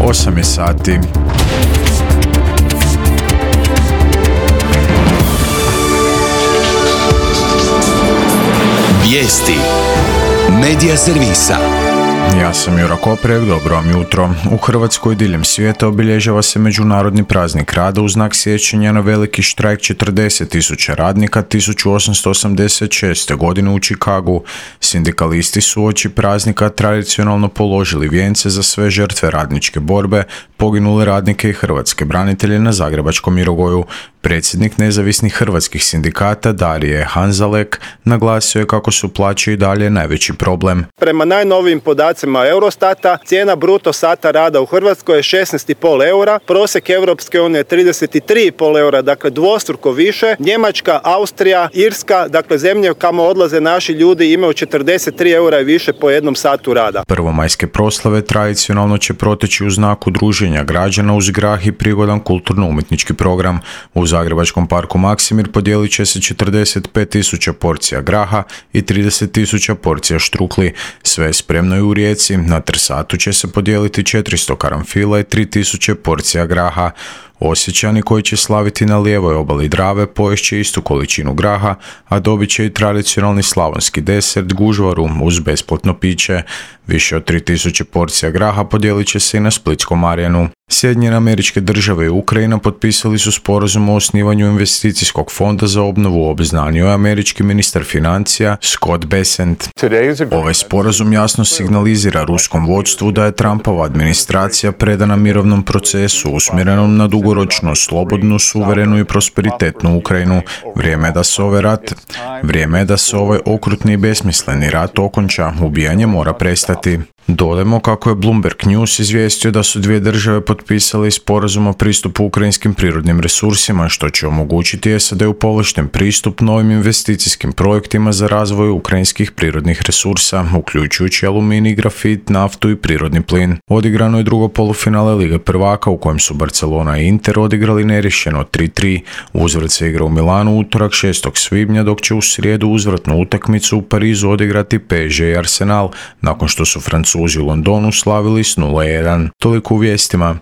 8 je sati. Vijesti Medija servisa. Ja sam Jura Koprek, dobro vam jutro. U Hrvatskoj diljem svijeta obilježava se Međunarodni praznik rada u znak sjećanja na veliki štrajk 40.000 radnika 1886. godine u Chicagu. Sindikalisti su uoči praznika tradicionalno položili vijence za sve žrtve radničke borbe, poginule radnike i hrvatske branitelje na Zagrebačkom Mirogoju. Predsjednik nezavisnih hrvatskih sindikata Darije Hanzalek naglasio je kako su plaće i dalje najveći problem. Prema najnovijim podacima Eurostata, cijena bruto sata rada u Hrvatskoj je 16,5 eura, prosjek Europske unije je 33,5 eura, dakle dvostruko više. Njemačka, Austrija, Irska, dakle zemlje kamo odlaze naši ljudi imaju 43 eura i više po jednom satu rada. Prvomajske proslave tradicionalno će proteći u znaku druženja građana uz grah i prigodan kulturno-umjetnički program. U Zagrebačkom parku Maksimir podijelit će se 45.000 porcija graha i 30.000 porcija štrukli. Sve je spremno i u Rijeci. Na Trsatu će se podijeliti 400 karanfila i 3.000 porcija graha. Osječani koji će slaviti na lijevoj obali Drave poješće istu količinu graha, a dobit će i tradicionalni slavonski desert gužvaru uz besplatno piće. Više od 3.000 porcija graha podijelit će se i na Splitskom Marjanu. Sjedinjene Američke Države i Ukrajina potpisali su sporazum o osnivanju investicijskog fonda za obnovu, obznanio je američki ministar financija Scott Bessent. Ovaj sporazum jasno signalizira ruskom vodstvu da je Trumpova administracija predana mirovnom procesu usmjerenom na dugoročno, slobodnu, suverenu i prosperitetnu Ukrajinu. Vrijeme je da se ovaj okrutni i besmisleni rat okonča. Ubijanje mora prestati. Dodajmo kako je Bloomberg News izvijestio da su dvije države potpisale sporazum o pristupu ukrajinskim prirodnim resursima, što će omogućiti SAD-u povlašten pristup novim investicijskim projektima za razvoj ukrajinskih prirodnih resursa, uključujući aluminij, grafit, naftu i prirodni plin. Odigrano je drugo polufinale Lige prvaka u kojem su Barcelona i Inter odigrali neriješeno 3-3. Uzvrat se igra u Milanu utorak 6. svibnja, dok će u srijedu uzvratnu utakmicu u Parizu odigrati PSG i Arsenal, nakon što su Francuzi u Londonu slavili s 0-1. Toliko u vijestima.